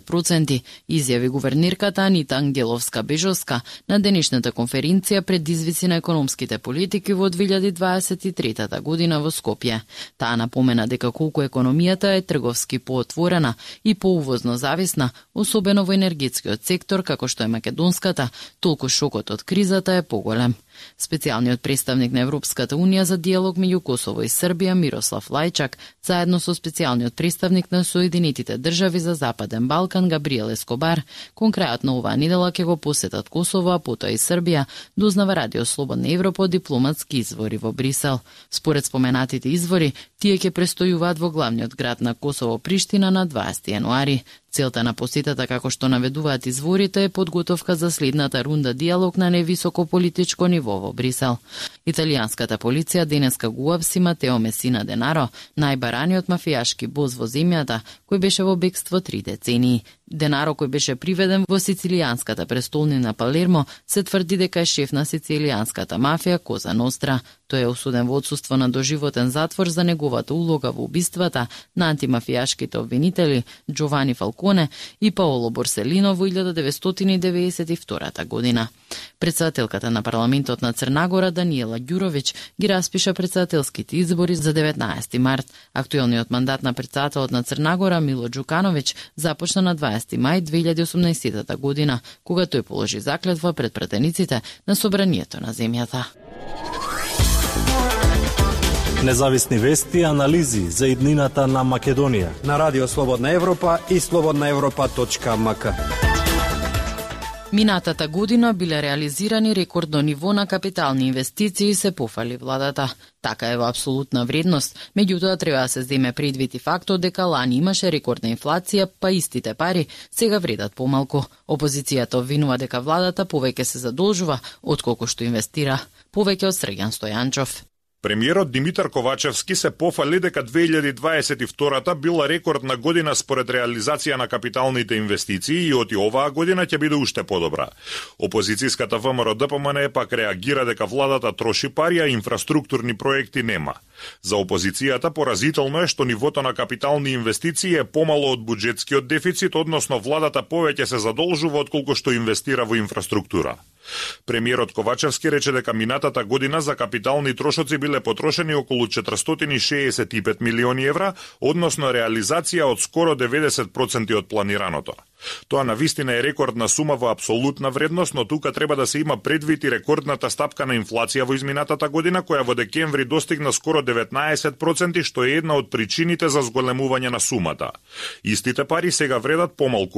проценти, изјави гувернерката Анита Ангеловска-Бежовска на денешната конференција пред извици на економските политики во 2023 година во Скопје. Таа напомена дека колку економијата е трговски поотворена и поувозно зависна, особено во енергетскиот сектор како што е македонската, толку шокот од кризата е поголем. Специјалниот представник на Европската унија за диалог меѓу Косово и Србија Мирослав Лајчак, заедно со специјалниот представник на Соединетите држави за Западен Балкан Габриел Ескобар, конкретно оваа недела ќе го посетат Косово, а потоа и Србија, дознава Радио Слободна Европа од дипломатски извори во Брисел. Според споменатите извори, тие ќе престојуваат во главниот град на Косово Приштина на 20 јануари. Целта на посетата, како што наведуваат изворите, е подготовка за следната рунда диалог на невисоко политичко ниво во Брисел. Италијанската полиција денеска го уапси Матео Месина Денаро, најбараниот мафијашки боз во земјата, кој беше во бегство 3 децении. Денаро, кој беше приведен во сицилијанската престолнина Палермо, се тврди дека е шеф на сицилијанската мафија Коза Ностра. Тој е осуден во отсуство на доживотен затвор за неговата улога во убиствата на антимафијашките обвинители Джовани Фалконе и Паоло Борселино во 1992 година. Председателката на парламентот на Црнагора Даниела Ѓуровиќ ги распиша председателските избори за 19 март. Актуелниот мандат на председателот на Црнагора Мило Ѓукановиќ започна на 20 мај 2018 година, кога тој положи заклетва пред пратениците на собранието на земјата. Независни вести и анализи за иднината на Македонија на Радио Слободна Европа и slobodnaevropa.mk. Минатата година биле реализирани рекордно ниво на капитални инвестиции, се пофали владата. Така е во апсолутна вредност, меѓутоа треба да се земе предвид и фактот дека лани имаше рекордна инфлација, па истите пари сега вредат помалку. Опозицијата обвинува дека владата повеќе се задолжува отколку што инвестира. Повеќе од Срѓан Стојанчов. Премиерот Димитар Ковачевски се пофали дека 2022 била рекордна година според реализација на капиталните инвестиции и оти оваа година ќе биде уште подобра. Опозицијската ВМРО ДПМН пак реагира дека владата троши пари, а инфраструктурни проекти нема. За опозицијата поразително е што нивото на капитални инвестиции е помало од буџетскиот дефицит, односно владата повеќе се задолжува отколку што инвестира во инфраструктура. Премиерот Ковачевски рече дека минатата година за капитални трошоци биле потрошени околу 465 милиони евра, односно реализација од скоро 90% од планираното. Тоа навистина е рекордна сума во апсолутна вредност, но тука треба да се има предвид и рекордната стапка на инфлација во изминатата година, која во декември достигна скоро 19%, што е една од причините за зголемување на сумата. Истите пари сега вредат помалку